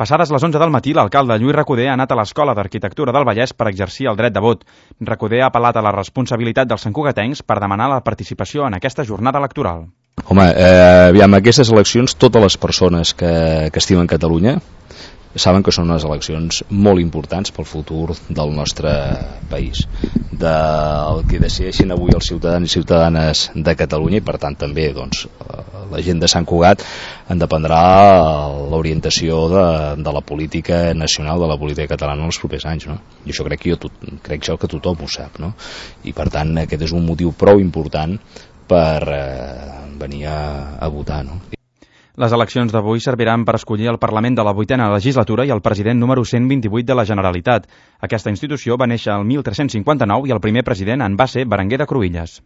Passades les 11 del matí, l'alcalde Lluís Recoder ha anat a l'Escola d'Arquitectura del Vallès per exercir el dret de vot. Recoder ha apel·lat a la responsabilitat dels santcugatencs per demanar la participació en aquesta jornada electoral. Home, aviam, aquestes eleccions, totes les persones que estimen Catalunya saben que són unes eleccions molt importants pel futur del nostre país, del que decideixin avui els ciutadans i ciutadanes de Catalunya, i per tant també doncs, la gent de Sant Cugat en dependrà l'orientació de la política nacional, de la política catalana en els propers anys, no? I això crec que tothom ho sap, no? I per tant aquest és un motiu prou important per venir a votar, no? Les eleccions d'avui serviran per escollir el Parlament de la 8a legislatura i el president número 128 de la Generalitat. Aquesta institució va néixer el 1359 i el primer president en va ser Berenguer de Cruïlles.